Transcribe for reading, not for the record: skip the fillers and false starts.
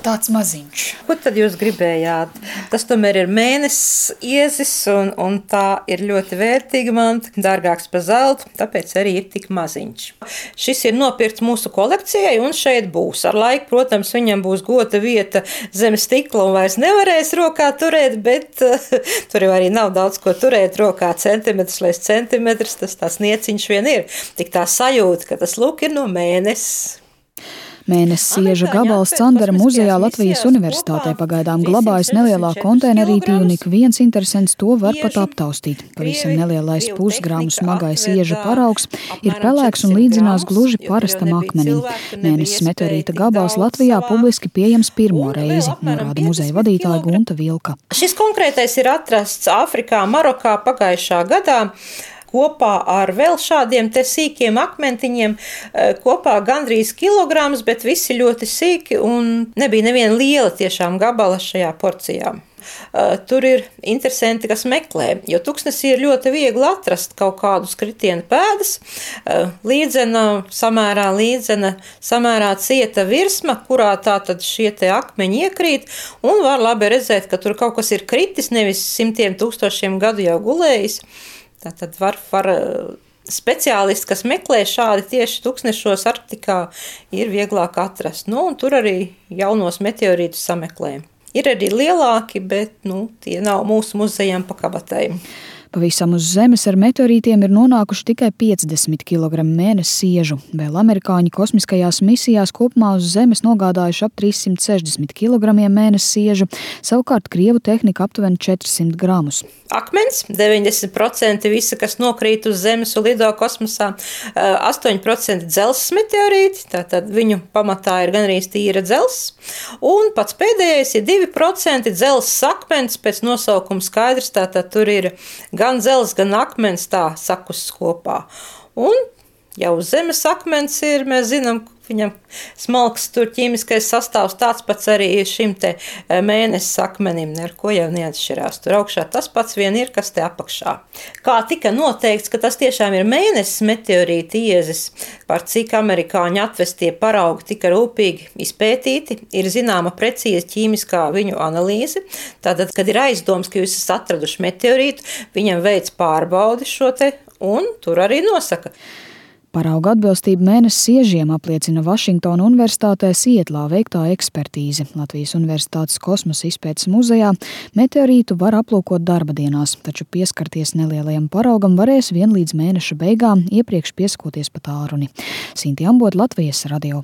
tāds maziņš. Ko tad jūs gribējāt? Tas tomēr ir mēnesis iezis, un tā ir ļoti vērtīga manta, dārgāks par zeltu, tāpēc arī ir tik maziņš. Šis ir nopirkts mūsu kolekcijai, un šeit būs. Ar laiku, protams, viņam būs gota vieta zem stikla un vairs nevarēs rokā turēt, bet tur jau arī nav daudz ko turēt rokā, centimetrs līdz centimetrs, tas tās nieciņš vien ir. Tik tā sajūta, ka tas lūk ir no mēnesis. Mēnesis ieža gabals Candara muzejā Latvijas Universitātē pagaidām glabājas nelielā konteinerītī, un ik viens interesants to var pat aptaustīt. Pavisam nelielais pusgramu smagais ieža paraugs ir pelēks un līdzinās gluži parastam akmenim. Mēnesis meteorīta gabals Latvijā publiski pieejams pirmo reizi, norāda muzeja vadītāja Gunta Vilka. Šis konkrētais ir atrasts Āfrikā, Marokā pagājušā gadā. Kopā ar vēl šādiem te sīkiem akmentiņiem, kopā gandrīz kilograms, bet visi ļoti sīki un nebija neviena liela tiešām gabala šajā porcijā. Tur ir interesanti, kas meklē, jo tuksnesī ir ļoti viegli atrast kaut kādus kritienu pēdas, samērā cieta virsma, kurā tātad šie te akmeņi iekrīt, un var labi redzēt, ka tur kaut kas ir kritis, nevis simtiem tūkstošiem gadu jau gulējis. Tātad var speciālisti, kas meklē šādi tieši tuksnešos Arktikā, ir vieglāk atrast. Un tur arī jaunos meteorītus sameklē. Ir arī lielāki, bet tie nav mūsu muzejām pa kabatēm. Pavisam uz Zemes ar meteorītiem ir nonākuši tikai 50 kg mēnesis iežu. Vēl amerikāņi kosmiskajās misijās kopumā uz Zemes nogādājuši ap 360 kg mēnesis iežu, savukārt krievu tehnika aptuveni 400 gramus. Akmens, 90% visa, kas nokrīt uz Zemes un lido kosmosā, 8% dzelzs meteorīti, tātad viņu pamatā ir gandrīz tīra dzelzs, un pats pēdējais ir 2% dzelzs akmens, pēc nosaukuma skaidrs, tātad tur ir gan dzelzs, gan akmens tā sakusts kopā. Un jau Zemes akmens ir, mēs zinām, viņam smalks tur ķīmiskais sastāvs, tāds pats arī šim te mēnesis akmenim, ar ko jau neatšķirās. Tur augšā tas pats vien ir, kas te apakšā. Kā tika noteikts, ka tas tiešām ir mēnesis meteorīta iezis, par cik amerikāņi atvestie paraugi tika rūpīgi izpētīti, ir zināma precīza ķīmiskā viņu analīze. Tātad, kad ir aizdoms, ka jūs esat atraduši meteorītu, viņam veic pārbaudi šo te, un tur arī nosaka. Parauga atbilstību mēnesis iežiem apliecina Vašingtona Universitātē Sietlā veiktā ekspertīze. Latvijas Universitātes kosmosa izpētes muzejā meteorītu var aplūkot darba dienās, taču pieskarties nelielajam paraugam varēs vien līdz mēneša beigām, iepriekš piesakoties pa tālruni. Sinti Ambot, Latvijas radio.